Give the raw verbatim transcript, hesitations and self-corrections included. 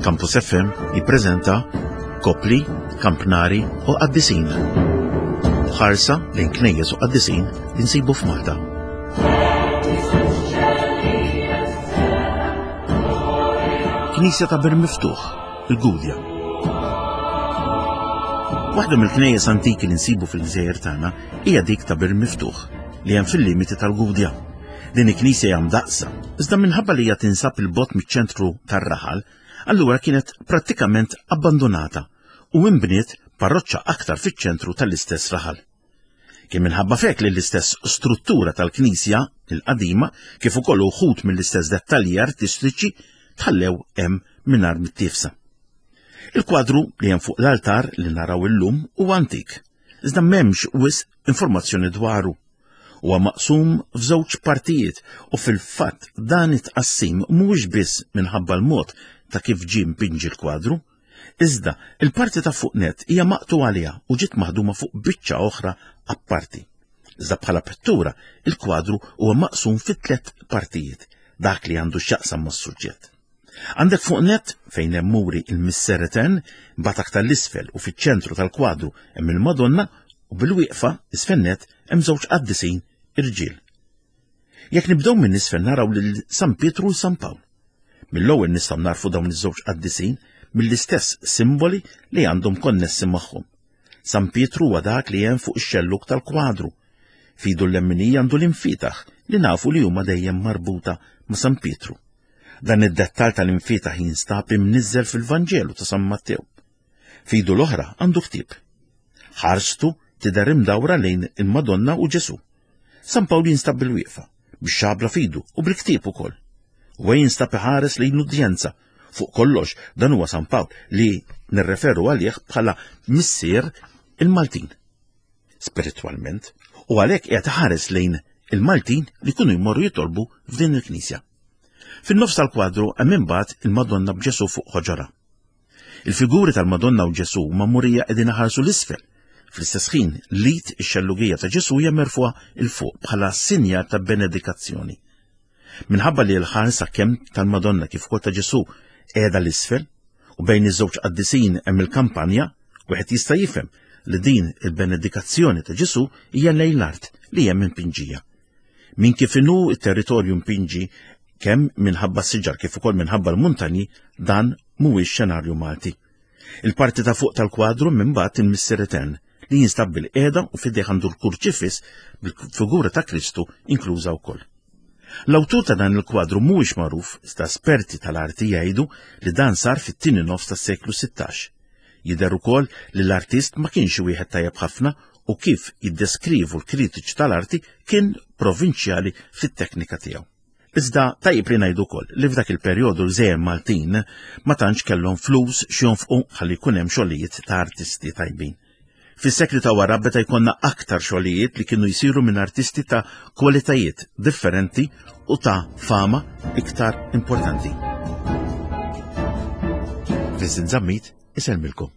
Campus F M jippreżenta Kopli, Kampnari u Qaddisin. Ħarsa lejn knejjes u qaddisin li nsibu f'Malta. Knisja ta' Bir Miftuħ, il-Gudja. Waħda mill-knejjes antiki li nsibu fil-gżejjer tagħna hija dik ta' Bir Miftuħ li hemm fil-limiti tal-Gudja. Din il-knisja hija mdaqsa, iżda minħabba li hija tinsab il-bot miċ-ċentru tar-raħal, allura kienet prattikament abbandonata u inbniet parroċċa aktar fiċ-ċentru tal-istess raħal. Kien minħabba fek li l-istess struttura tal-knisja il-qadima kif ukoll uħud mill-istess dettalji artistiċi tħallew hemm mingħajr mittifsa. Il-kwadru li hemm fuq l-altar li naraw illum huwa antik, iżda m'hemmx wisq informazzjoni dwaru. Huwa maqsum f'żewġ partijiet u fil-fatt dan it-tqassim mhuwiex biss minħabba l-mod ta' kif ġie mpinġi l-kwadru, iżda il-parti ta' fuq net hija maqtu għaliha u ġiet maħduma fuq biċċa oħra apparti. Iżda bħala pittura, il-kwadru huwa maqsum fi tliet partijiet, dak li għandu x'jaqsam mas-suġġett. Għandek fuq net fejn hemm muri il-Misser Etern, mbagħad aktar l-isfel u fiċ-ċentru tal-kwadru hemm il-Madonna u bil-wieqfa isfel net hemm żewġ qaddisin irġiel. Jekk nibdew minn isfel naraw lil San Pietru u San Pawl. Mill-ewwel nistgħu narfu dawn iż-żewġ qaddisin mill-istess simboli li għandhom konnessi magħhom. San Pietru huwa dak li hemm fuq ix-xelluk tal-kwadru. Fidu l-lemminija għandu l-infitaħ li nafu li huma dejjem marbuta ma' San Pietru. Dan id-dettal tal-infitaħ jinstab imniżżel fil-Vanġelu ta' San Mattew. Fidu l-oħra għandu ktieb. Ħarstu tidher imdawra lejn il-Madonna u Ġesu. San Pawl jinstab bil-wieqfa, bix-xabla fidu u bil-ktieb ukoll. U jinstab iħares lejn udjenza. Fuq kollox dan huwa San Pawl li nirreferu għalih bħala missier il-Maltin. Spiritwalment, u għalhekk qiegħed iħares lejn il-Maltin li kunu jmorru jitolbu f'din il-knisja. Fin-nofs tal-kwadru hemm imbagħad il-Madonna b'Ġesu fuq ħoġora. Il-figuri tal-Madonna u Ġesu huma murija qegħdin iħarsu l-isfel. Fl-istess ħin, l-id ix-xellugija ta' Ġesu hija merfuha 'l fuq bħala sinjal ta' benedikazzjoni. Minħabba li l-ħarsa kemm tal-Madonna kif ukoll ta' Ġesu qiegħda l-isfel u bejn iż-żewġ qaddisin hemm il-kampanja, wieħed jista' jifhem li din il-benedikazzjoni ta' Ġesu hija lejn l-art li hemm impinġija. Min kif inhu t-territorju impinġi kemm minħabba s-siġar kif ukoll minħabba l-muntanji, dan mhuwiex xenarju Malti. Il-parti ta' fuq tal-kwadru minn bagħad il-Missier Etern li jinstab bil-qiegħda u f'idejh għandu l-kurċifiss bil-figura ta' Kristu inkluża wkoll. L-awtur ta' dan il-kwadru mhuwiex magħruf, iżda esperti tal-arti jgħidu li dan sar fit-tieni nofs tas-seklu sittax. Jidher ukoll li l-artist ma kienx wieħed tajjeb ħafna u kif jiddeskrivu l-kritiċi tal-arti kien provinċjali fit-teknika tiegħu. Iżda tajjeb li ngħidu wkoll li f'dak il-perjodu l-żejjer Maltin ma tantx kellhom flus x'jonfqu ħalli jkun hemm xogħlijiet ta' artisti tajbin. Fis-sekli ta' wara beda jkollna aktar xogħlijiet li kienu jsiru minn artisti ta' kwalitajiet differenti u ta' fama iktar importanti. Vincent Zammit isellmilkom.